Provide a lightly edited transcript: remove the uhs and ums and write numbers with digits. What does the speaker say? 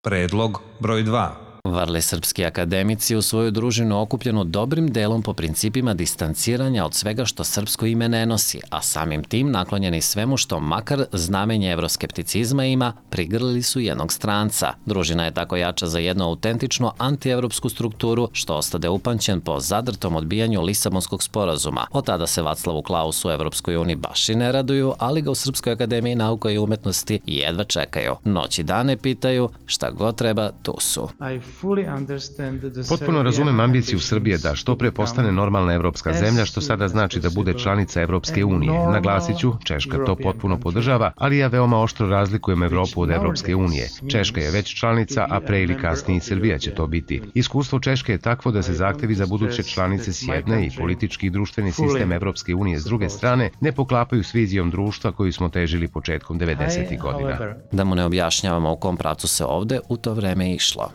Predlog broj 2. Varli srpski akademici u svoju družinu okupljenu dobrim delom po principima distanciranja od svega što srpsko ime ne nosi, a samim tim naklonjeni svemu što makar znamenje evroskepticizma ima, prigrlili su jednog stranca. Družina je tako jača za jednu autentično antievropsku strukturu, što ostade upamćen po zadrtom odbijanju Lisabonskog sporazuma. Od tada se Vaclavu Klausu u Evropskoj uniji baš i ne raduju, ali ga u Srpskoj akademiji nauka i umetnosti jedva čekaju. Noć i dane pitaju, šta god treba, tu su. Potpuno razumem ambiciju Srbije da što pre postane normalna evropska zemlja, što sada znači da bude članica Evropske unije. Naglasit ću, Češka to potpuno podržava, ali ja veoma oštro razlikujem Evropu od Evropske unije. Češka je već članica, a pre ili kasnije i Srbija će to biti. Iskustvo Češke je takvo da se zahtevi za buduće članice s jedne i politički i društveni sistem Evropske unije s druge strane ne poklapaju s vizijom društva koju smo težili početkom 90. godina. Da mu ne objašnjavamo u kom pravcu se ovde u to vreme išlo.